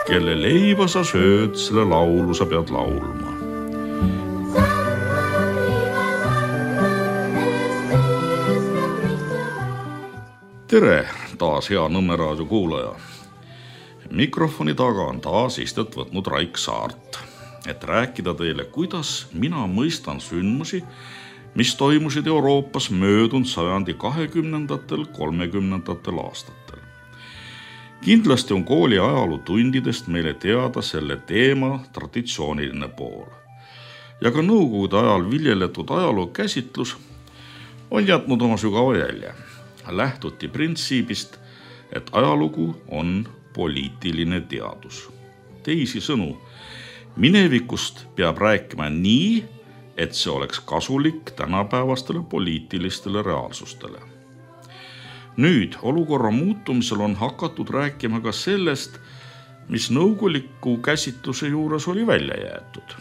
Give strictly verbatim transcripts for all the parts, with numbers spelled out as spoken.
Kelle leiba sa sööd, selle laulu sa pead laulma. Tere taas hea Nõmme raadio kuulaja. Mikrofoni taga on taas istet võtnud Raik Saart, et rääkida teile, kuidas mina mõistan sündmusi, mis toimusid Euroopas möödunud sajandi kahekümnendatel, kolmekümnendatel aastatel. Kindlasti on kooli ajalootundidest meile teada selle teema traditsiooniline pool. Ja ka nõukogude ajal viljeletud ajaloo käsitlus on jätnud oma sügava jälje. Lähtuti printsiibist, et ajalugu on poliitiline teadus. Teisi sõnu, minevikust peab rääkima nii, et see oleks kasulik tänapäevastele poliitilistele reaalsustele. Nüüd olukorra muutumisel on hakatud rääkima ka sellest, mis nõukoguliku käsitluse juures oli välja jäetud.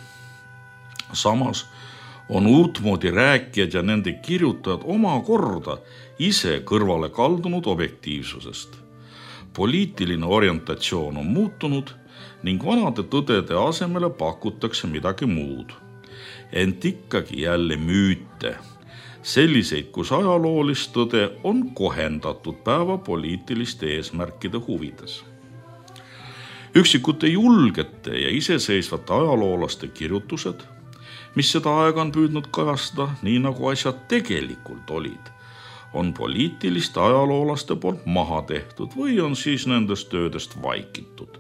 Samas on uutmoodi rääkijad ja nende kirjutajad oma korda ise kõrvale kaldunud objektiivsusest. Poliitiline orientatsioon on muutunud ning vanade tõdede asemele pakutakse midagi muud. Ent ikkagi jälle müüte, selliseid, kus ajaloolist tõde on kohendatud päeva poliitiliste eesmärkide huvides. Üksikute julgete ja iseseisvate ajaloolaste kirjutused, mis seda aega on püüdnud kajastada nii nagu asjad tegelikult olid, on poliitiliste ajaloolaste poolt maha tehtud või on siis nendest töödest vaikitud.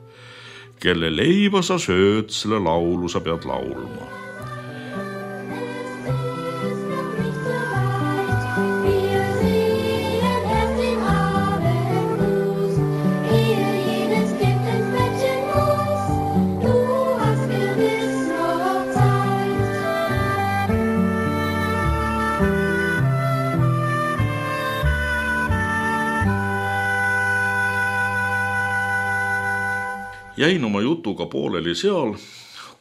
Kelle leiba sa sööd, selle laulu sa pead laulma. Jäin oma jutuga pooleli seal,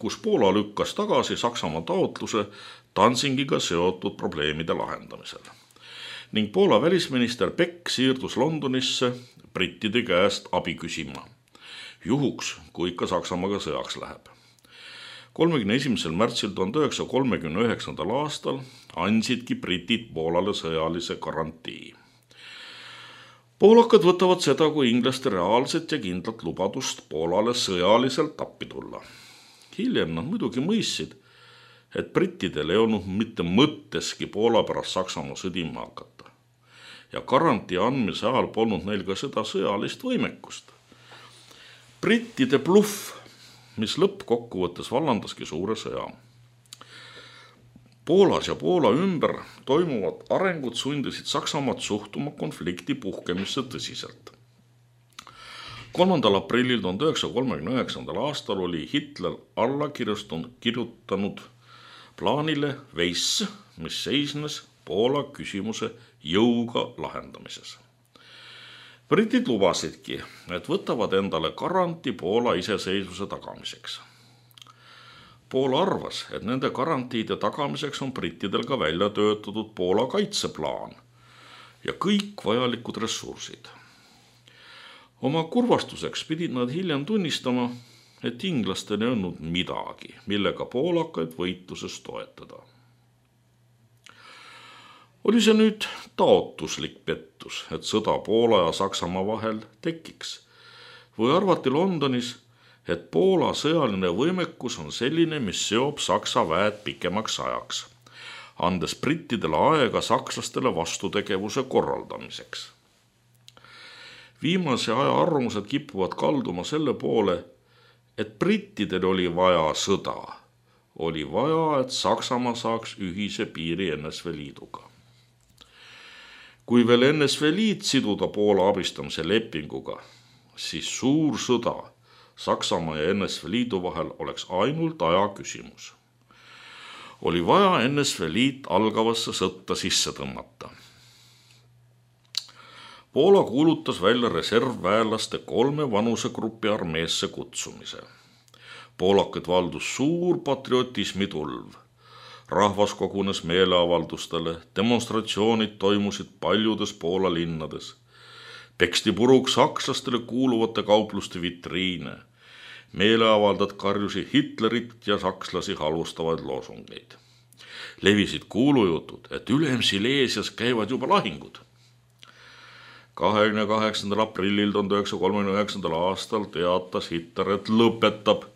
kus Poola lükkas tagasi Saksamaa taotluse Danzigiga seotud probleemide lahendamisel. Ning Poola välisminister Beck siirdus Londonisse brittide käest abi küsima. Juhuks, kui ikka Saksamaaga sõjaks läheb. kolmekümne esimesel märtsil tuhande üheksasaja kolmekümne üheksandal aastal andsidki britid Poolale sõjalise garantii. Poolakad võtavad seda kui inglaste reaalset ja kindlat lubadust Poolale sõjaliselt appi tulla. Hiljem nad muidugi mõistsid, et brittidel ei olnud mitte mõtteski Poola pärast Saksamaa sõdima hakata. Ja garantii andmise ajal polnud neil ka seda sõjalist võimekust. Brittide bluff, mis lõppkokkuvõttes vallandaski suure sõja. Poolas ja Poola ümber toimuvad arengud sundisid Saksamaad suhtuma konflikti puhkemisse tõsiselt. kolmandal aprillil tuhande üheksasaja kolmekümne üheksandal aastal oli Hitler alla kirjutanud plaanile Weiss, mis seisnes Poola küsimuse jõuga lahendamises. Britid lubasidki, et võtavad endale garantii Poola iseseisvuse tagamiseks. Poola arvas, et nende garantiide tagamiseks on brittidel ka välja töötatud Poola kaitseplaan ja kõik vajalikud ressursid. Oma kurvastuseks pidid nad hiljem tunnistama, et inglastel ei olnud midagi, millega poolakaid võitluses toetada. Oli see nüüd taotluslik pettus, et sõda Poola ja Saksamaa vahel tekiks, või arvati Londonis, et Poola sõjaline võimekus on selline, mis seob Saksa väed pikemaks ajaks, andes brittidele aega sakslastele vastutegevuse korraldamiseks. Viimase aja arvamused kipuvad kalduma selle poole, et brittidel oli vaja sõda. Oli vaja, et Saksamaa saaks ühise piiri N S V Liiduga. Kui veel N S V Liit siduda Poola abistamise lepinguga, siis suur sõda Saksamaa ja N S V Liidu vahel oleks ainult aja küsimus. Oli vaja N S V Liit algavasse sõtta sisse tõmmata. Poola kuulutas välja reservväelaste kolme vanusegrupi armeesse kutsumise. Poolakad valdus suur patriotismi tulv. Rahvas kogunes meeleavaldustele, demonstratsioonid toimusid paljudes Poola linnades. Peksti puruks sakslastele kuuluvate kaupluste vitriine. meeleavaldajad karjusid Hitlerit ja sakslasi halvustavaid loosungeid. Levisid kuulujutud, et ülem Silesias käivad juba lahingud. kahekümne kaheksandal aprillil tuhande üheksasaja kolmekümne üheksandal aastal teatas Hitler, et lõpetab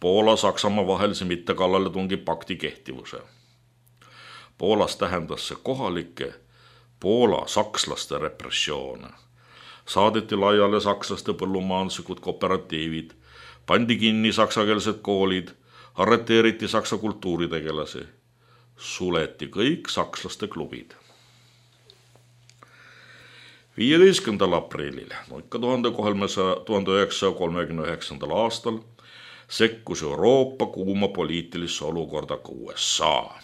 Poola-Saksamaa vahelise mittekallaletungi pakti kehtivuse. Poolas tähendas see kohalike Poola sakslaste repressioone. Saadeti laiale sakslaste põllumajanduslikud kooperatiivid, pandi kinni saksakeelsed koolid, arreteeriti saksa kultuuritegelasi, suleti kõik sakslaste klubid. viieteistkümnendal aprillil, no ikka tuhande üheksasaja kolmekümne üheksandal aastal, sekkus Euroopa kuuma poliitilisse olukorda ka U S A.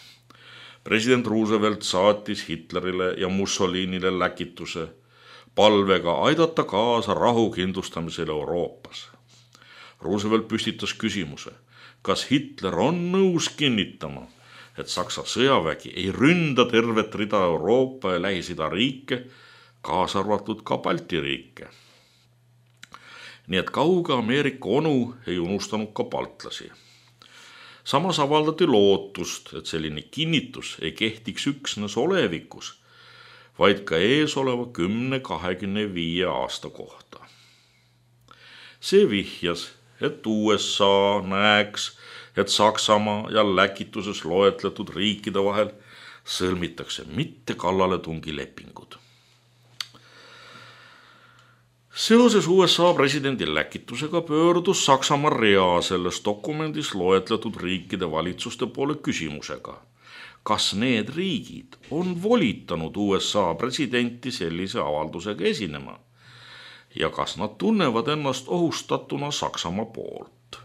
President Roosevelt saatis Hitlerile ja Mussolinile läkituse palvega aidata kaasa rahu kindlustamisele Euroopas. Roosevelt püstitas küsimuse, kas Hitler on nõus kinnitama, et Saksa sõjavägi ei ründa tervet rida Euroopa ja Lähis-Ida riike, kaasa arvatud ka Balti riike. Nii et kauge Ameerika onu ei unustanud ka baltlasi. Samas avaldati lootust, et selline kinnitus ei kehtiks üksnes olevikus, vaid ka ees oleva kümne kahekümne viie aasta kohta. See vihjas, et U S A näeks, et Saksamaa ja läkituses loetletud riikide vahel sõlmitakse mitte kallaletungi lepingud. Seoses U S A presidendi läkitusega pöördus Saksamaa rea selles dokumendis loetletud riikide valitsuste poole küsimusega, kas need riigid on volitanud U S A presidenti sellise avaldusega esinema ja kas nad tunnevad ennast ohustatuna Saksamaa poolt.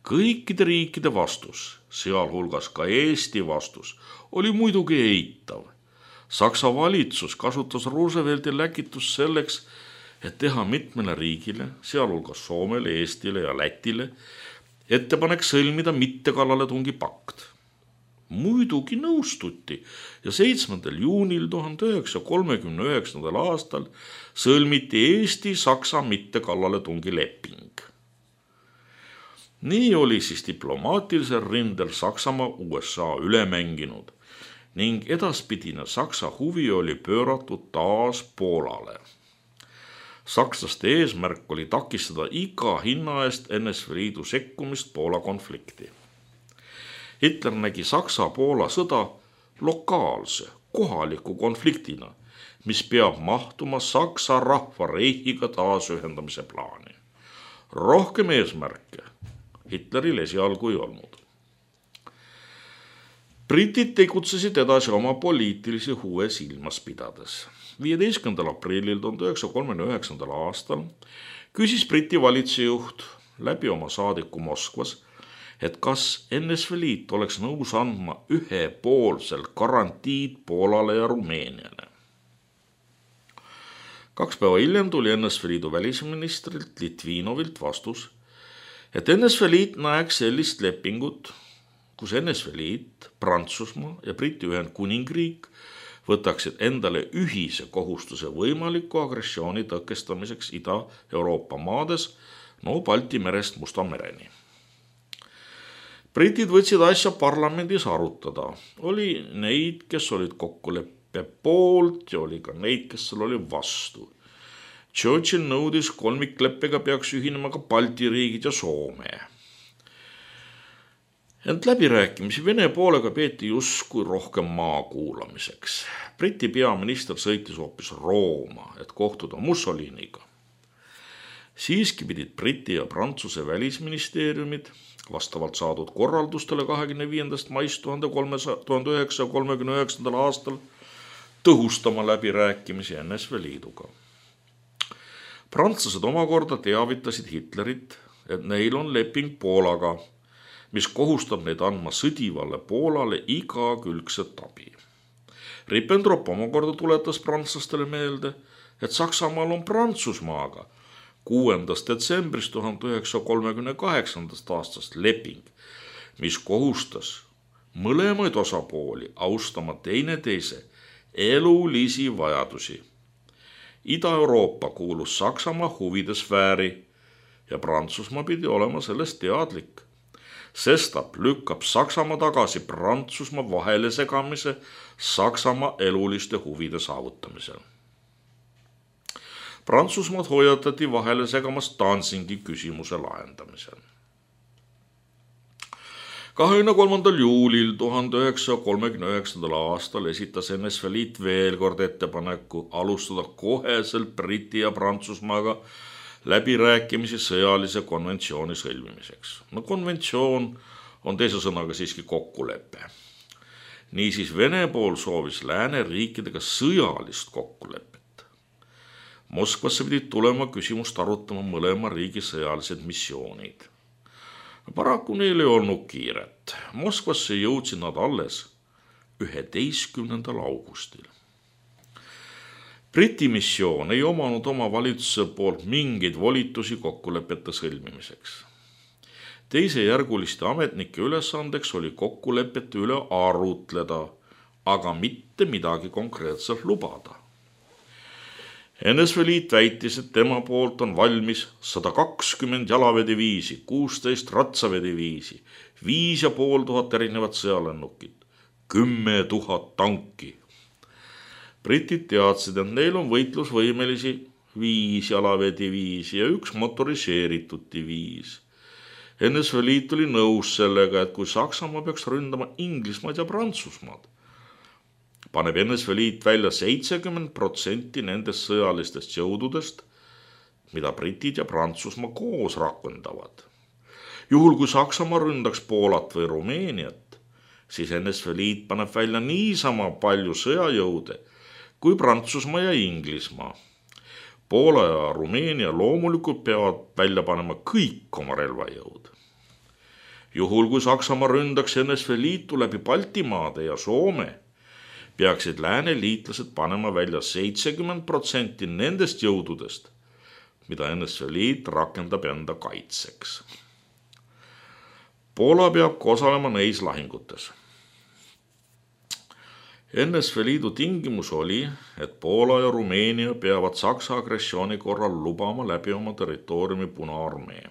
Kõikide riikide vastus, sealhulgas ka Eesti vastus, oli muidugi eitav. Saksa valitsus kasutas Roosevelti läkitust selleks, et teha mitmele riigile, sealhulgas Soomele, Eestile ja Lätile, ettepanek sõlmida mittekallaletungi pakt. Muidugi nõustuti ja seitsmendal juunil tuhande üheksasaja kolmekümne üheksandal aastal sõlmiti Eesti-Saksa mittekallaletungi leping. Nii oli siis diplomaatilisel rindel Saksamaa U S A üle mänginud ning edaspidine Saksa huvi oli pööratud taas Poolale. Sakslaste eesmärk oli takistada iga hinna eest N S V Liidu sekkumist Poola konflikti. Hitler nägi Saksa-Poola sõda lokaalse, kohaliku konfliktina, mis peab mahtuma Saksa rahvareihiga taasühendamise plaani. Rohkem eesmärke Hitleril esialgu ei olnud. Britid tegutsesid edasi oma poliitilisi huve silmas pidades. viieteistkümnendal aprillil tuhande üheksasaja kolmekümne üheksandal aastal küsis Briti valitsejuht läbi oma saadiku Moskvas, et kas N S V Liit oleks nõus andma ühepoolselt garantiid Poolale ja Rumeeniale. Kaks päeva hiljem tuli N S V Liidu välisministrilt Litvinovilt vastus, et N S V Liit näeks sellist lepingut, kus N S V Liit, Prantsusmaa ja Briti Ühendkuningriik võtaksid endale ühise kohustuse võimaliku agressiooni tõkestamiseks Ida-Euroopa maades, no Balti merest Musta mereni. Britid võtsid asja parlamendis arutada. Oli neid, kes olid kokkuleppe poolt ja oli ka neid, kes seal oli vastu. Churchill nõudis kolmikleppega peaks ühinema ka Balti riigid ja Soome. Ent läbirääkimisi Vene poolega peeti justkui rohkem maa kuulamiseks. Briti peaminister sõitis hoopis Rooma, et kohtuda Mussoliniga. Siiski pidid Briti ja Prantsuse välisministeeriumid vastavalt saadud korraldustele kahekümne viiendast maist tuhande üheksasaja kolmekümne üheksandal aastal tõhustama läbirääkimisi N S V Liiduga. Prantslased omakorda teavitasid Hitlerit, et neil on leping Poolaga, mis kohustab neid andma sõdivale Poolale igakülgset abi. Ribbentrop omakorda tuletas prantslastele meelde, et Saksamaal on Prantsusmaaga kuuendast detsembrist tuhande üheksasaja kolmekümne kaheksandast aastast leping, mis kohustas mõlemaid osapooli austama teineteise elulisi vajadusi. Ida-Euroopa kuulus Saksamaa huvide sfääri ja Prantsusmaa pidi olema sellest teadlik, sestap lükkab Saksamaa tagasi Prantsusmaa vahele segamise Saksamaa eluliste huvide saavutamisel. Prantsusmaad hoiatati vahele segamast Danzingi küsimuse lahendamisel. kahekümne kolmandal juulil tuhande üheksasaja kolmekümne üheksandal aastal esitas N S V Liit veel kord ettepaneku alustada koheselt Briti ja Prantsusmaaga läbirääkimisi sõjalise konventsiooni sõlmimiseks. No konventsioon on teise sõnaga siiski kokkulepe. Niisiis Vene pool soovis lääneriikidega sõjalist kokkulepet. Moskvasse pidid tulema küsimust arutama mõlema riigi sõjalised missioonid. Paraku neil ei olnud kiiret. Moskvasse jõudsid nad alles üheteistkümnendal augustil. Briti missioon ei omanud oma valitsuse poolt mingeid volitusi kokkulepete sõlmimiseks. Teisejärguliste ametnike ülesandeks oli kokkulepete üle arutleda, aga mitte midagi konkreetselt lubada. N S V Liit väitis, et tema poolt on valmis sada kakskümmend jalaväediviisi, kuusteist ratsavediviisi, viis ja pool tuhat erinevat sõjalennukit, kümme tuhat tanki. Britid teadsid, et neil on võitlusvõimelisi viis jalaväediviisi ja üks motoriseeritud diviis. N S V Liit oli nõus sellega, et kui Saksamaa peaks ründama Inglismaad ja Prantsusmaad, paneb N S V Liit välja seitsekümmend protsenti nendest sõjalistest jõududest, mida Britid ja Prantsusmaa koos rakendavad. Juhul kui Saksamaa ründaks Poolat või Rumeeniat, siis N S V Liit paneb välja niisama palju sõjajõude kui Prantsusmaa ja Inglismaa. Poola ja Rumeenia loomulikult peavad välja panema kõik oma relvajõud. Juhul kui Saksamaa ründaks N S V Liitu läbi Baltimaade ja Soome, peaksid lääneliitlased panema välja seitsekümmend protsenti nendest jõududest, mida N S V Liit rakendab enda kaitseks. Poola peab osalema neis lahingutes. N S V Liidu tingimus oli, et Poola ja Rumeenia peavad Saksa agressiooni korral lubama läbi oma territooriumi Punaarmee.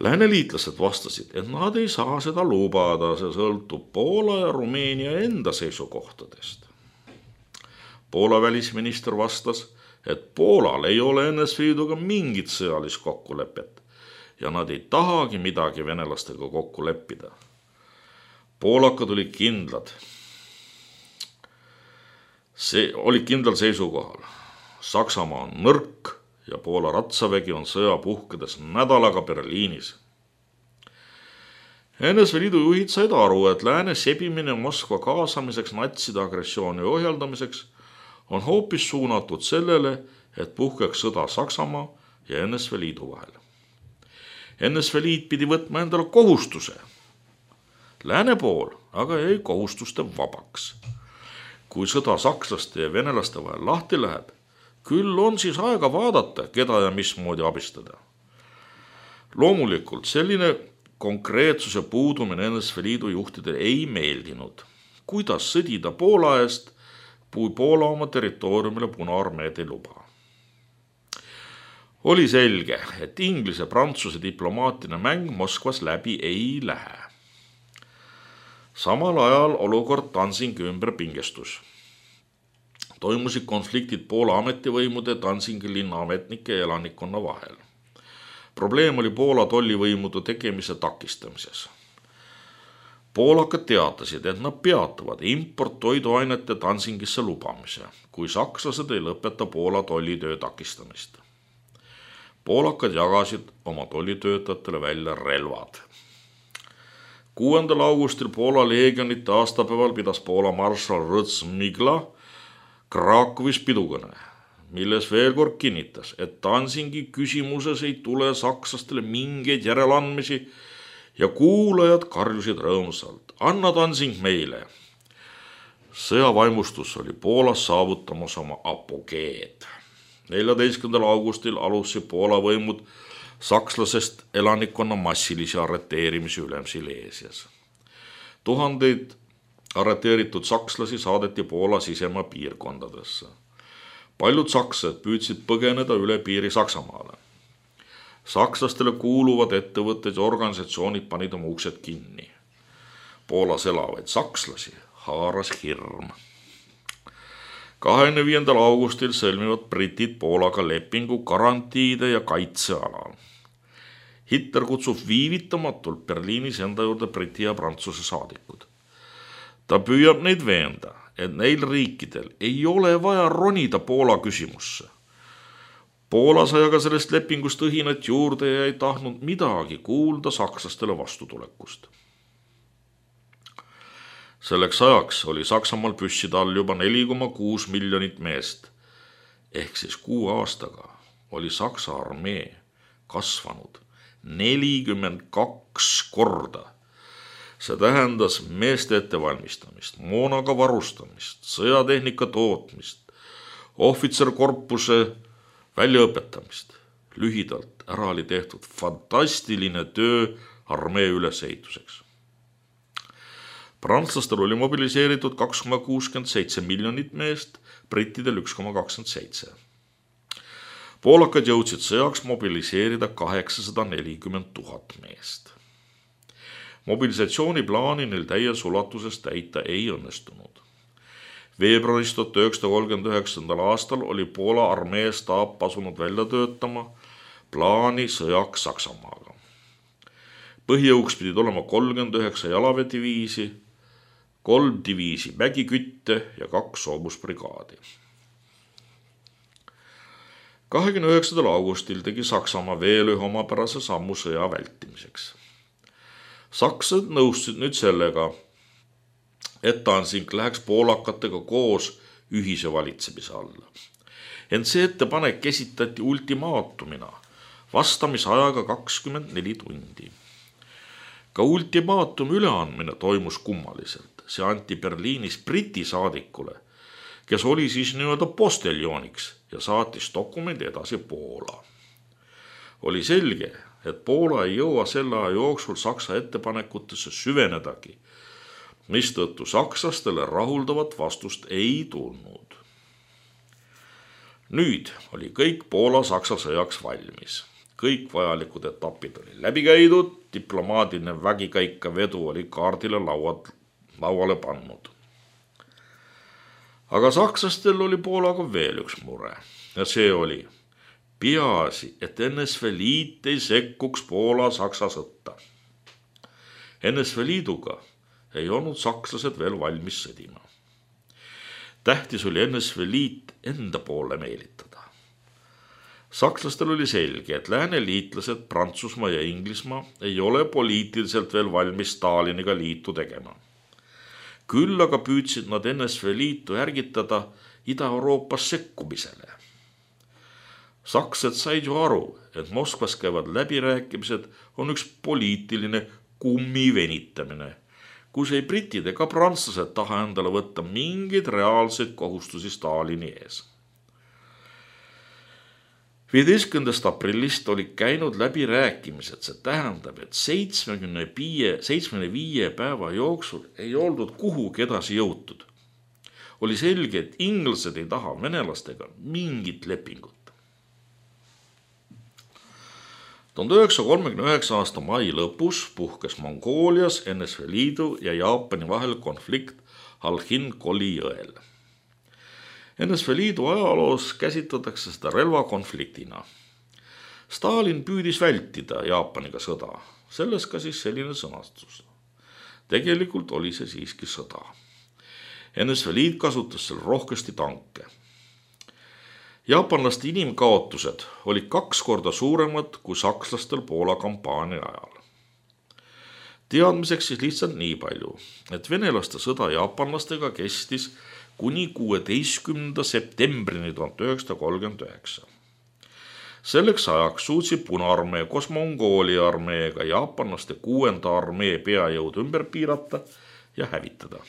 Lääneliitlased vastasid, et nad ei saa seda lubada, see sõltub Poola ja Rumeenia enda seisukohtadest. Poola välisminister vastas, et Poolal ei ole N S V Liiduga mingit sõjalist kokkulepet ja nad ei tahagi midagi venelastega kokku leppida. Poolakad olid kindlad. See oli kindlal seisukohal. Saksamaa on nõrk ja Poola ratsavägi on sõja puhkedes nädalaga Berliinis. N S V Liidu juhid said aru, et lääne sebimine Moskva kaasamiseks natside agressiooni ohjeldamiseks on hoopis suunatud sellele, et puhkeks sõda Saksamaa ja N S V Liidu vahel. N S V Liit pidi võtma endale kohustuse. Lääne pool aga jäi kohustuste vabaks. Kui sõda sakslaste ja venelaste vahel lahti läheb, küll on siis aega vaadata, keda ja mismoodi abistada. Loomulikult selline konkreetsuse puudumine N S V Liidu juhtidele ei meeldinud. Kuidas sõdida Poola eest, kui Poola oma territooriumile Punaarmeed ei luba? Oli selge, et Inglise-Prantsuse diplomaatiline mäng Moskvas läbi ei lähe. Samal ajal olukord Danzingi ümber pingestus. Toimusid konfliktid Poola ametivõimude, Danzingi linna ametnike ja elanikkonna vahel. Probleem oli Poola tollivõimude tegemise takistamises. Poolakad teatasid, et nad peatavad import toiduainete Danzingisse lubamise, kui sakslased ei lõpeta Poola tollitöö takistamist. Poolakad jagasid oma tollitöötajatele välja relvad. kuuendal augustil Poola leegionite aastapäeval pidas Poola marssal Rõts-Migla Krakowis pidukõne, milles veel kord kinnitas, et Danzingi küsimuses ei tule sakslastele mingeid järeleandmisi ja kuulajad karjusid rõõmsalt, anna Danzing meile. Sõjavaimustus oli Poolas saavutamas oma apogeed. neljateistkümnendal augustil alustasid Poola võimud sakslasest elanikkonna massilisi arreteerimisi ülem Sileesias. Tuhandeid arreteeritud sakslasi saadeti Poola sisemaa piirkondadesse. Paljud sakslased püüdsid põgeneda üle piiri Saksamaale. Sakslastele kuuluvad ettevõtted ja organisatsioonid panid oma uksed kinni. Poolas elavaid sakslasi haaras hirm. kahekümne viiendal augustil sõlmivad britid Poolaga lepingu garantiide ja kaitse alal. Hitler kutsub viivitamatult Berliinis enda juurde Briti ja Prantsuse saadikud. Ta püüab neid veenda, et neil riikidel ei ole vaja ronida Poola küsimusse. Poola sai aga sellest lepingust õhinat juurde ja ei tahtnud midagi kuulda sakslastele vastutulekust. Selleks ajaks oli Saksamaal püsside all juba neli koma kuus miljonit meest. Ehk siis kuu aastaga oli Saksa armee kasvanud nelikümmend kaks korda. See tähendas meeste ettevalmistamist, moonaga varustamist, sõjatehnika tootmist, ohvitserkorpuse väljaõpetamist. Lühidalt ära oli tehtud fantastiline töö armee ülesehituseks. Prantslastel oli mobiliseeritud kaks koma kuuskümmend seitse miljonit meest, brittidel üks koma kakskümmend seitse. Poolakad jõudsid sõjaks mobiliseerida kaheksasada nelikümmend tuhat meest. Mobilisatsiooniplaani neil täies ulatuses täita ei õnnestunud. Veebruaris tuhat üheksasada kolmkümmend üheksandal aastal oli Poola armee staap asunud välja töötama plaani sõjaks Saksamaaga. Põhijõuks pidid olema kolmkümmend üheksa jalaväediviisi, kolm diviisi mägikütte ja kaks soomusbrigaadi. kahekümne üheksandal augustil tegi Saksamaa veel ühe omapärase sammu sõja vältimiseks. Saksad nõustusid nüüd sellega, et Danzig läheks poolakatega koos ühise valitsemise alla. Ent see ettepanek esitati ultimaatumina, vastamisajaga kakskümmend neli tundi. Ka ultimaatumi üleandmine toimus kummaliselt. See anti Berliinis Briti saadikule, kes oli siis nii-öelda posteljooniks ja saatis dokumendi edasi Poola. Oli selge, et Poola ei jõua selle aja jooksul Saksa ettepanekutesse süvenedagi, mistõttu sakslastele rahuldavat vastust ei tulnud. Nüüd oli kõik Poola-Saksa sõjaks valmis. Kõik vajalikud etapid oli läbi käidud, diplomaadiline vägikäika vedu oli kaardile lauad, lauale pannud. Aga sakslastel oli Poolaga veel üks mure ja see oli peaasi, et N S V Liit ei sekkuks Poola-Saksa sõtta. N S V Liiduga ei olnud sakslased veel valmis sõdima. Tähtis oli N S V Liit enda poole meelitada. Sakslastel oli selge, et lääneliitlased Prantsusmaa ja Inglismaa ei ole poliitiliselt veel valmis Staliniga liitu tegema. Küll aga püüdsid nad N S V Liitu ärgitada Ida-Euroopas sekkumisele. Sakslased said ju aru, et Moskvas käivad läbirääkimised on üks poliitiline kummi venitamine, kus ei britid ega prantslased taha endale võtta mingeid reaalseid kohustusi Stalini ees. viieteistkümnendast aprillist oli käinud läbi rääkimised, see tähendab, et seitsmekümne viie päeva jooksul ei oldud kuhugi edasi jõutud. Oli selge, et inglased ei taha venelastega mingit lepingut. tuhande üheksasaja kolmekümne üheksa aasta mai lõpus puhkes Mongoolias N S V Liidu ja Jaapani vahel konflikt Halhin-Koli jõel. N S V Liidu ajaloos käsitletakse seda relvakonfliktina. Stalin püüdis vältida Jaapaniga sõda, selles ka siis selline sõnastus. Tegelikult oli see siiski sõda. N S V Liit kasutas seal rohkesti tanke. Jaapanlaste inimkaotused olid kaks korda suuremad kui sakslastel Poola kampaania ajal. Teadmiseks siis lihtsalt nii palju, et venelaste sõda jaapanlastega kestis kuni kuueteistkümnenda septembrini tuhat üheksasada kolmkümmend üheksa. Selleks ajaks suutsid Punaarmee koos Mongoolia armeega jaapanlaste kuuenda armee peajõud ümber piirata ja hävitada.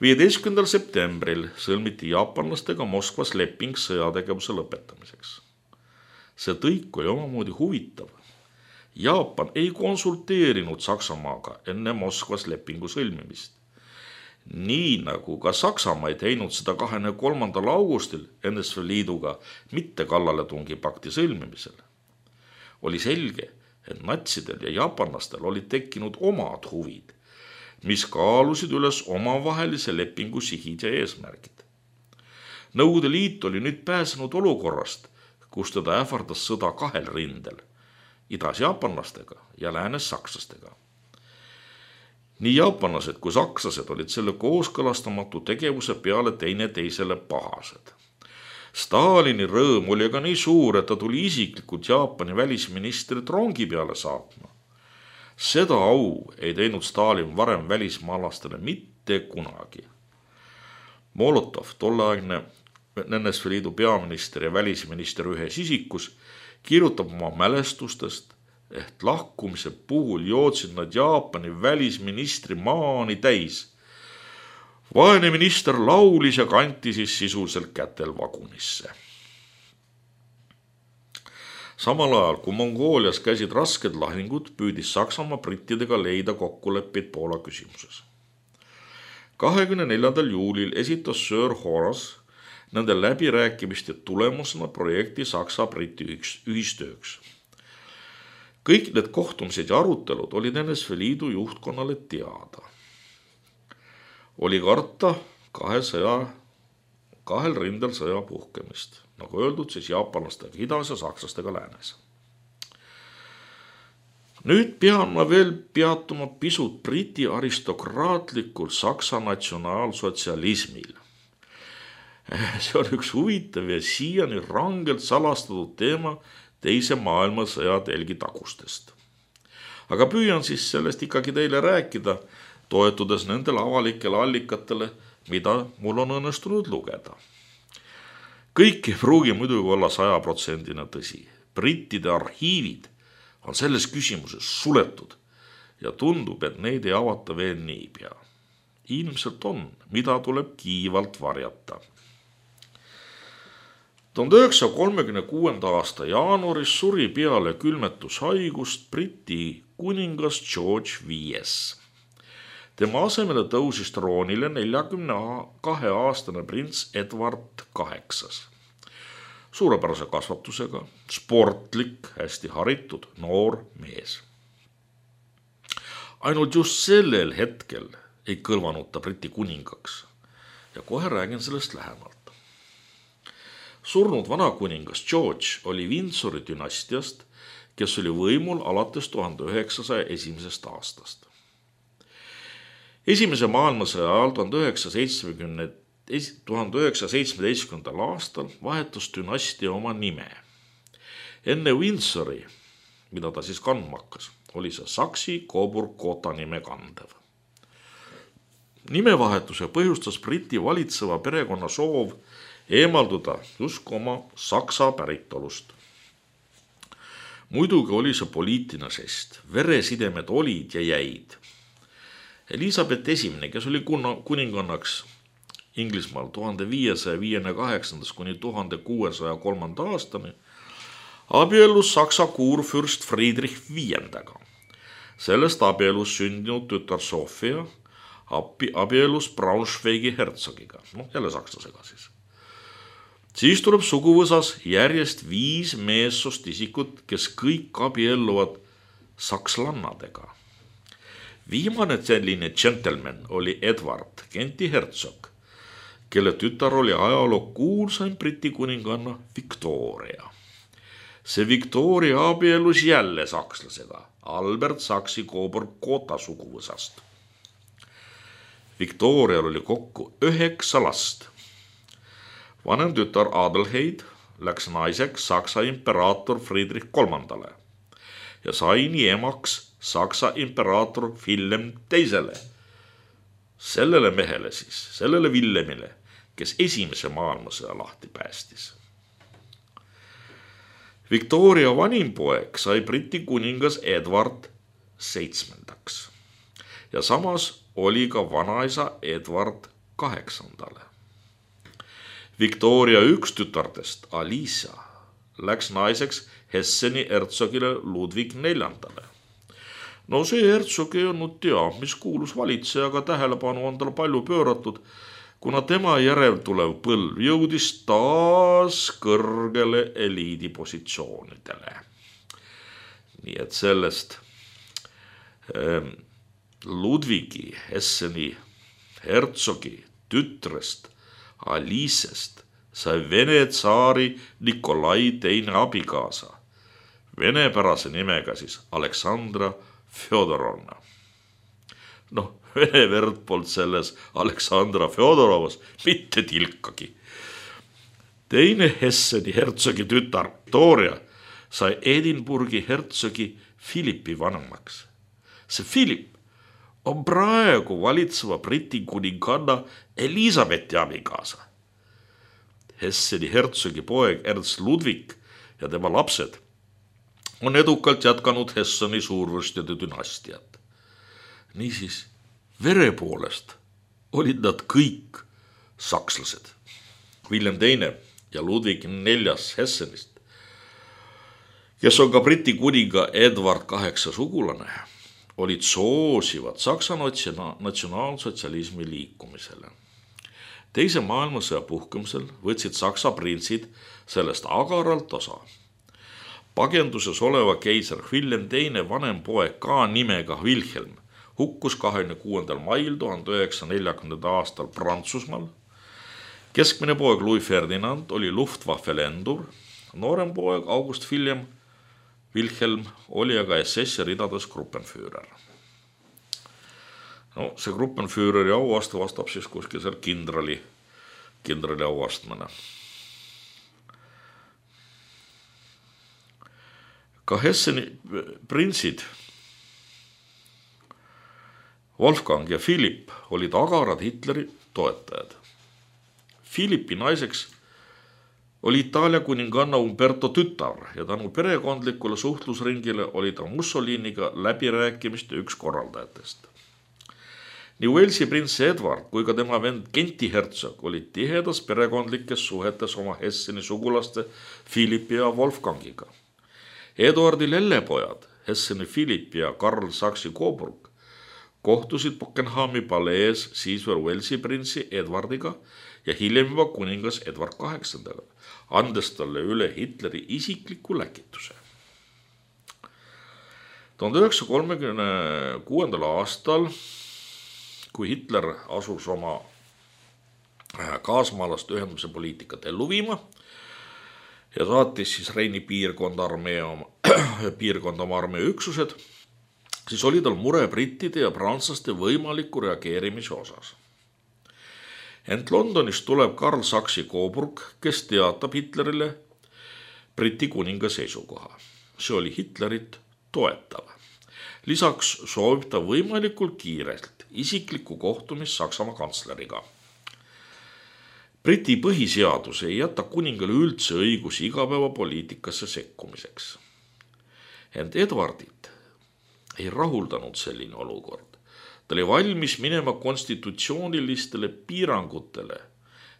viieteistkümnendal septembril sõlmiti jaapanlastega Moskvas leping sõjategevuse lõpetamiseks. See tõik oli omamoodi huvitav. Jaapan ei konsulteerinud Saksamaaga enne Moskvas lepingu sõlmimist. Nii nagu ka Saksamaa ei teinud seda kahekümne kolmandal augustil N S V Liiduga mitte kallaletungi pakti sõlmimisel. oli selge, et natsidel ja jaapanlastel olid tekkinud omad huvid, mis kaalusid üles omavahelise lepingu sihid ja eesmärgid. Nõukogude Liit oli nüüd pääsenud olukorrast, kus teda ähvardas sõda kahel rindel, idas jaapanlastega ja läänes sakslastega. Nii jaapanlased kui sakslased olid selle kooskõlastamatu tegevuse peale teine teisele pahased. Stalini rõõm oli aga nii suur, et ta tuli isiklikult Jaapani välisministrit rongi peale saatma. Seda au ei teinud Stalin varem välismaalastele mitte kunagi. Molotov, tolleaegne N S V Liidu peaminister ja välisminister ühes isikus, kirjutab oma mälestustest, et lahkumise puhul joodsid nad Jaapani välisministri maani täis. Vaene minister laulis ja kanti siis sisuliselt kätel vagunisse. Samal ajal, kui Mongoolias käisid rasked lahingud, püüdis Saksamaa brittidega leida kokkuleppeid Poola küsimuses. kahekümne neljandal juulil esitas Sir Horace nende läbirääkimiste tulemusena projekti Saksa-Briti ühistööks. Kõik need kohtumised ja arutelud olid N S V Liidu juhtkonnale teada. Oli karta kahe sõja, kahel rindel sõja puhkemist, nagu öeldud, siis jaapanlastega idas ja sakslastega läänes. Nüüd pean ma veel peatuma pisut briti aristokraatlikul Saksa natsionaalsotsialismil. See on üks huvitav ja siiani rangelt salastatud teema teise maailmasõja telgi tagustest. Aga püüan siis sellest ikkagi teile rääkida, toetudes nendele avalikele allikatele, mida mul on õnnestunud lugeda. Kõik ei pruugi muidugi olla sajaprotsendine tõsi. Brittide arhiivid on selles küsimuses suletud ja tundub, et neid ei avata veel niipea. Ilmselt on, mida tuleb kiivalt varjata. tuhande üheksasaja kolmekümne kuuenda aasta jaanuaris suri peale külmetushaigust Briti kuningas George viies. Tema asemele tõusis troonile neljakümne kahe aastane prints Edward kaheksas. Suurepärase kasvatusega, sportlik, hästi haritud, noor mees. Ainult just sellel hetkel ei kõlvanud ta Briti kuningaks ja kohe räägin sellest lähemalt. Surnud vanakuningas George oli Windsori dünastiast, kes oli võimul alates tuhande üheksasaja esimesest aastast. Esimese maailmasõja ajal tuhande üheksasaja seitsmeteistkümnendal aastal vahetus dünastia oma nime. Enne Windsori, mida ta siis kandma hakkas, oli see Saksi-Coburg-Gotha nime kandev. Nimevahetuse põhjustas Briti valitseva perekonna soov eemalduda just oma saksa päritolust. Muidugi oli see poliitiline žest, veresidemed olid ja jäid. Elisabeth esimene, kes oli kuningannaks Inglismaal tuhande viiesaja viiekümne kaheksandast kuni tuhande kuuesaja kolmanda aastani, abiellus Saksa kuurfürst Friedrich viiendaga. Sellest abiellus sündinud tütar Sofia abiellus Braunschweigi hertsogiga, noh jälle sakslasega siis. Siis tuleb suguvõsas järjest viis meessoost isikut, kes kõik abielluvad sakslannadega. Viimane selline gentleman oli Edward, Kenti hertsog, kelle tütar oli ajaloo kuulsaim Briti kuninganna Victoria. See Victoria abiellus jälle sakslasega, Albert Saksi-Coburg-Gotha suguvõsast. Victorial oli kokku üheksa last. Vanem tütar Adelheid läks naiseks Saksa imperaator Friedrich kolmandale ja sai nii emaks Saksa imperaator Wilhelm teisele. Sellele mehele siis, sellele Wilhelmile, kes esimese maailmasõja lahti päästis. Victoria vanim poeg sai Briti kuningas Edward seitsmendaks ja samas oli ka vanaisa Edward kaheksandale. Victoria üks tütardest, Alicia, läks naiseks Hesseni hertsogile Ludwig neljandale. No see hertsog ei olnud teab, mis kuulus valitsejaga tähelepanu on tal palju pööratud, kuna tema järel tulev põlv jõudis taas kõrgele eliidi positsioonidele. nii et sellest ähm, Ludvigi Hesseni hertsogi tütrest Aliisest sai Vene tsaari Nikolai teine abikaasa, venepärase nimega siis Aleksandra Fjodorovna. Noh, vene verd polnud selles Aleksandra Fjodorovas mitte tilkagi. Teine Hesseni hertsogi tütar Victoria sai Edinburgi hertsogi Philippi vanemaks. See Philip on praegu valitseva Briti kuninganna Elizabethi abikaasa. Hesseni hertsogi poeg Ernst Ludwig ja tema lapsed on edukalt jätkanud Hesseni suurvürstide dünastiat. Niisiis, vere poolest olid nad kõik sakslased. William teine ja Ludwig neljas Hessenist, kes on ka Briti kuninga Edward kaheksa sugulane, olid soosivad Saksa natsionaalsotsialismi liikumisele. Teise maailmasõja puhkemisel võtsid Saksa printsid sellest agaralt osa. Pagenduses oleva keiser William teine vanem poeg ka nimega Wilhelm hukkus kahekümne kuuendal mail tuhande üheksasaja neljakümnendal aastal Prantsusmaal. Keskmine poeg Louis Ferdinand oli Luftwaffe lendur, noorem poeg August William Wilhelm oli aga S S-i ridades Gruppenführer. No, see Gruppenführeri auaste vastab siis kuskil seal kindrali, kindrali auastmane. Ka Hesseni printsid Wolfgang ja Philipp olid agarad Hitleri toetajad. Philippi naiseks oli Itaalia kuninganna Umberto tütar ja tänu perekondlikule suhtlusringile oli ta Mussoliniga läbirääkimiste üks korraldajatest. Nii Walesi prints Edward kui ka tema vend Genti hertsog olid tihedas perekondlikes suhetes oma Hesseni sugulaste Philippi ja Wolfgangiga. Eduardi lellepojad Hesseni Philipp ja Karl Saksi-Coburg kohtusid Buckinghami palees siis veel Walesi printsi Edwardiga ja hiljem juba kuningas Edward kaheksandaga, andes talle üle Hitleri isikliku läkituse. tuhande üheksasaja kolmekümne kuuendal aastal, kui Hitler asus oma kaasmaalaste ühendamise poliitikat ellu viima ja saatis siis Reini piirkonda armee oma, piirkonda oma armee üksused, siis oli tal mure brittide ja prantslaste võimaliku reageerimise osas. Ent Londonis tuleb Karl Saksi-Coburg, kes teatab Hitlerile Briti kuninga seisukoha. See oli Hitlerit toetav. Lisaks soovib ta võimalikult kiirelt isiklikku kohtumist Saksamaa kantsleriga. Briti põhiseadus ei jäta kuningale üldse õigusi igapäevapoliitikasse sekkumiseks. Ent Edwardit ei rahuldanud selline olukord. Ta oli valmis minema konstitutsioonilistele piirangutele,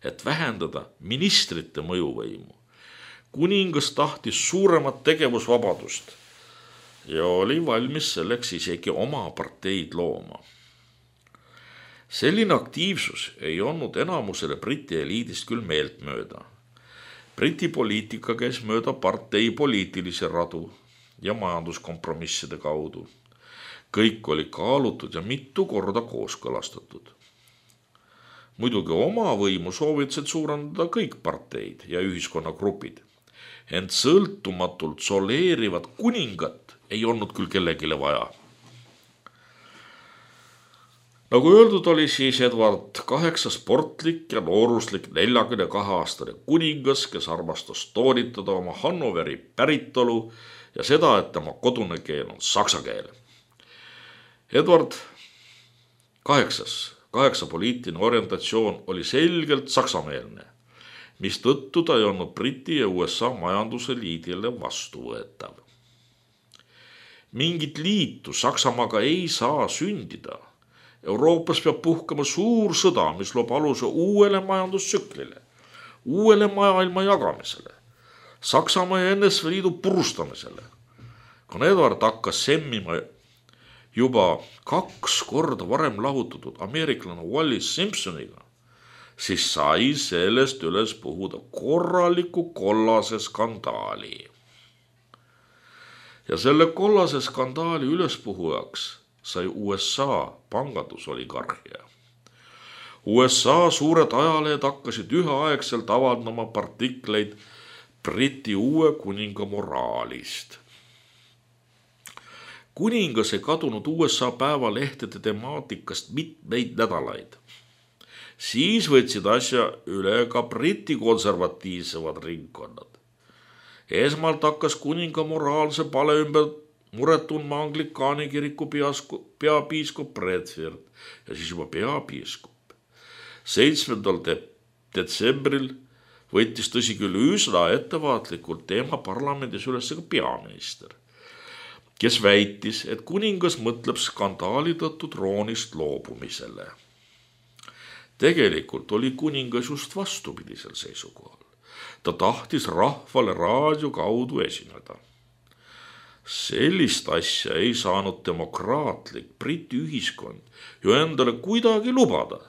et vähendada ministrite mõjuvõimu. Kuningas tahtis suuremat tegevusvabadust ja oli valmis selleks isegi oma parteid looma. Selline aktiivsus ei olnud enamusele Briti eliidist küll meelt mööda. Briti poliitika käis mööda partei poliitilise radu ja majanduskompromisside kaudu. Kõik oli kaalutud ja mitu korda kooskõlastatud. Muidugi oma võimu soovitasid suurendada kõik parteid ja ühiskonnagrupid, ent sõltumatult soleerivat kuningat ei olnud küll kellegile vaja. Nagu öeldud, oli siis Edward kaheksa sportlik ja nooruslik neljakümne kahe aastane kuningas, kes armastas toonitada oma Hannoveri päritolu ja seda, et tema kodune keel on saksa keel. Edward kaheksas, kaheksa poliitiline orientatsioon oli selgelt saksameelne, mis tõttu ta ei olnud Briti ja U S A majanduse liidile vastuvõetav. Mingit liitu Saksamaaga ei saa sündida. Euroopas peab puhkama suur sõda, mis loob aluse uuele majandustsüklile, uuele maailma jagamisele, Saksamaa ja N S V Liidu purustamisele. Kuna Edward hakkas semmima juba kaks korda varem lahutatud ameeriklane Wallis Simpsoniga, siis sai sellest üles puhuda korraliku kollase skandaali. ja selle kollase skandaali ülespuhujaks sai U S A pangandusoligarhia. U S A suured ajalehed hakkasid üheaegselt avaldama artikleid Briti uue kuninga moraalist. Kuningas ei kadunud U S A päevalehtede temaatikast mitmeid nädalaid. Siis võtsid asja üle ka Briti konservatiivsemad ringkonnad. Esmalt hakkas kuninga moraalse pale ümber muret tundma Anglikaani kiriku peapiiskop Bradford ja siis juba peapiiskop. seitsmendal detsembril võttis tõsi küll üsna ettevaatlikult teema parlamendis üles ka peaminister, kes väitis, et kuningas mõtleb skandaali tõttu troonist loobumisele. Tegelikult oli kuningas just vastupidisel seisukohal. Ta tahtis rahvale raadio kaudu esineda. Sellist asja ei saanud demokraatlik Briti ühiskond ju endale kuidagi lubada.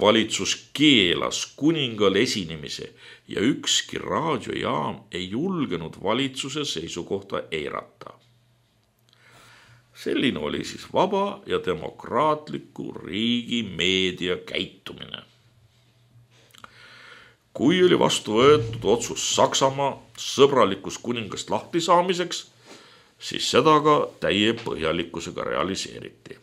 Valitsus keelas kuningal esinemise ja ükski raadiojaam ei julgenud valitsuse seisukohta eirata. Selline oli siis vaba ja demokraatliku riigi meedia käitumine. Kui oli vastu võetud otsus Saksamaa sõbralikust kuningast lahti saamiseks, siis seda ka täie põhjalikkusega realiseeriti.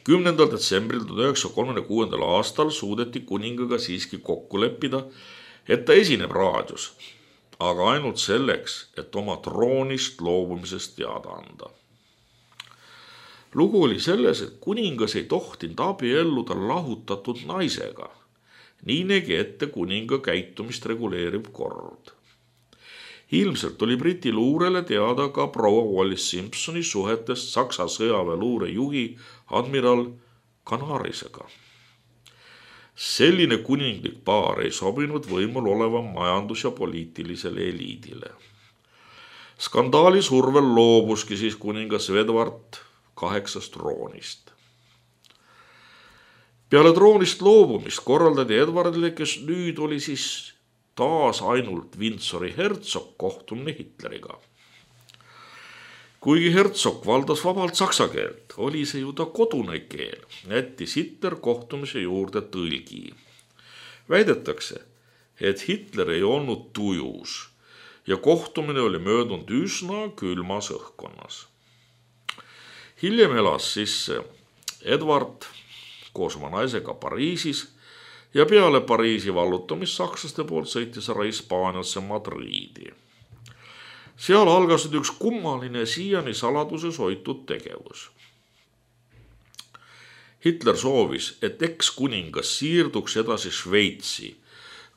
kümnendal detsembril tuhat üheksasaja kolmekümne kuuendal aastal suudeti kuningaga siiski kokku leppida, et ta esineb raadios, aga ainult selleks, et oma troonist loobumisest teada anda. Lugu oli selles, et kuningas ei tohtinud abielluda lahutatud naisega. Nii nägi ette kuninga käitumist reguleeriv kord. Ilmselt oli Briti luurele teada ka proua Wallis Simpsoni suhetest Saksa sõjaväeluure juhi admiral Canarisega. Selline kuninglik paar ei sobinud võimul oleva majandus- ja poliitilisele eliidile. Skandaali survel loobuski siis kuningas Edward kaheksast troonist. Peale troonist loobumist korraldati Edwardile, kes nüüd oli siis taas ainult Windsori hertsog, kohtumine Hitleriga. Kuigi hertsog valdas vabalt saksa keelt, oli see ju ta kodune keel, jättis Hitler kohtumise juurde tõlgi. Väidetakse, et Hitler ei olnud tujus ja kohtumine oli möödunud üsna külmas õhkkonnas. Hiljem elas siis Edward koos oma naisega Pariisis ja peale Pariisi vallutamist sakslaste poolt sõitis ära Hispaaniasse Madriidi. Seal algasid üks kummaline siiani saladuses hoitud tegevus. Hitler soovis, et eks-kuningas siirduks edasi Šveitsi,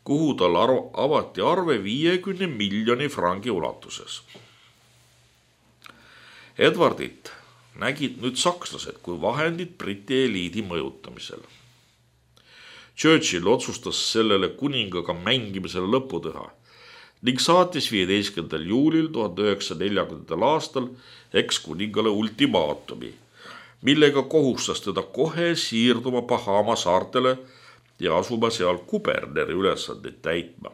kuhu tal avati arve viiekümne miljoni frangi ulatuses. Edwardit nägid nüüd sakslased kui vahendid Briti eliidi mõjutamisel. Churchill otsustas sellele kuningaga mängimisele lõpu teha ning saatis viieteistkümnendal juulil tuhat üheksasaja neljakümnendal aastal eks-kuningale ultimaatumi, millega kohustas teda kohe siirduma Bahama saartele ja asuma seal kuberneri ülesandeid täitma.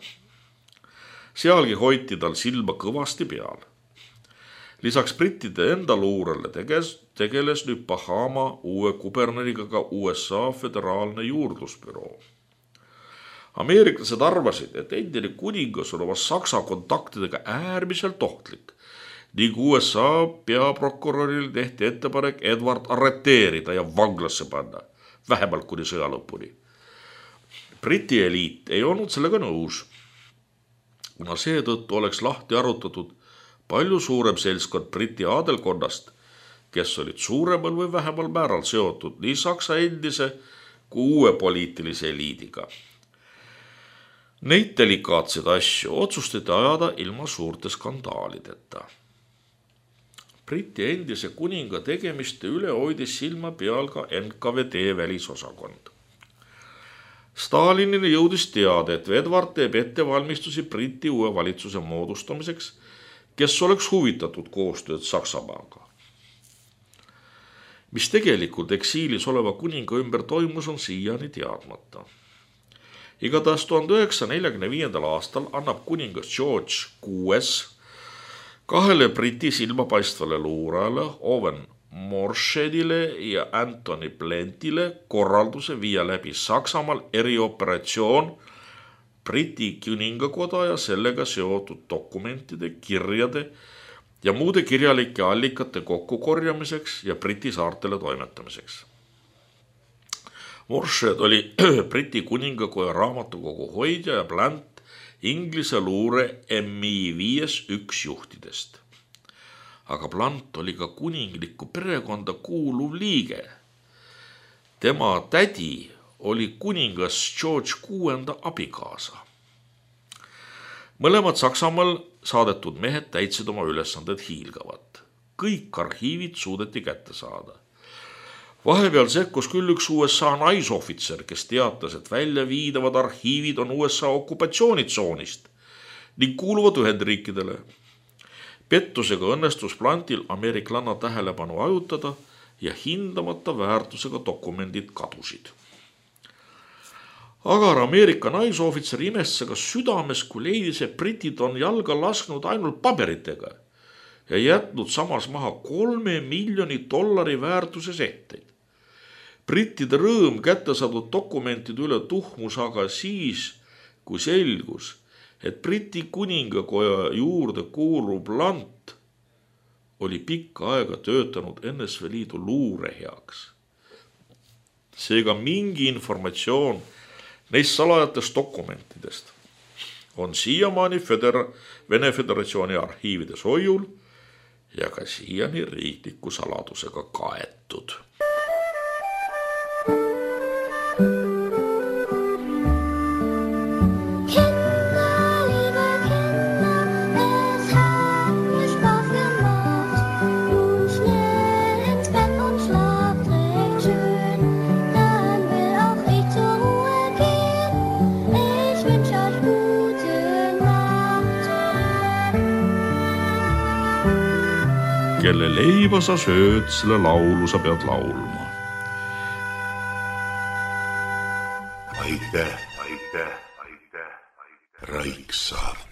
Sealgi hoiti tal silma kõvasti peal. Lisaks brittide enda luurele teges, tegeles nüüd Bahama uue kuberneriga ka U S A föderaalne juurdlusbüroo. Ameeriklased arvasid, et endine kuningas on oma saksa kontaktidega äärmiselt ohtlik ning U S A peaprokuröril tehti ettepanek Edward arreteerida ja vanglasse panna, vähemalt kuni sõja lõpuni. Briti eliit ei olnud sellega nõus, kuna seetõttu oleks lahti arutatud palju suurem seltskond Briti aadelkonnast, kes olid suuremal või vähemal määral seotud nii Saksa endise kui uue poliitilise eliidiga. Neid delikaatseid asju otsustati ajada ilma suurte skandaalideta. Briti endise kuninga tegemiste üle hoidis silma peal ka N K V D välisosakond. Stalinile jõudis teada, et Edward teeb ettevalmistusi Briti uue valitsuse moodustamiseks, kes oleks huvitatud koostööd Saksamaaga. Mis tegelikult eksiilis oleva kuninga ümber toimus, on siiani teadmata. Igatahes tuhande üheksasaja neljakümne viiendal aastal annab kuningas George kuues Kahele Briti silmapaistvale luurajale Owen Morshedile ja Anthony Blentile korralduse viia läbi Saksamaal erioperatsioon Briti kuningakoda ja sellega seotud dokumentide, kirjade ja muude kirjalike allikate kokkukorjamiseks ja Briti saartele toimetamiseks. Morshed oli Briti kuningakoja raamatukogu hoidja ja Blant Inglise luure M I viis üks juhtidest. Aga Blant oli ka kuninglikku perekonda kuuluv liige. Tema tädi oli kuningas George kuuenda abikaasa. Mõlemad Saksamaal saadetud mehed täitsid oma ülesanded hiilgavat. Kõik arhiivid suudeti kätte saada. Vahepeal sekkus küll üks U S A naisohvitser, kes teatas, et välja viidavad arhiivid on U S A okupatsioonitsoonist ning kuuluvad Ühendriikidele. Pettusega õnnestus Blantil ameeriklanna tähelepanu ajutada ja hindamata väärtusega dokumendid kadusid. Agar Ameerika naisohvitser imestas ka südames, kui leidis, et britid on jalga lasknud ainult paberitega ja jätnud samas maha kolme miljoni dollari väärtuses ehteid. Brittide rõõm kätte saadud dokumentide üle tuhmus aga siis, kui selgus, et Briti kuningakoja juurde kuuluv Blant oli pikka aega töötanud N S V Liidu luure heaks. Seega mingi informatsioon neist salajatest dokumentidest on siiamaani Feder- Vene Föderatsiooni arhiivides hoiul ja ka siiani riikliku saladusega kaetud. Kelle leiba sa sööd, selle laulu sa pead laulma. Aitäh, aitäh, aitäh, Raik Saart.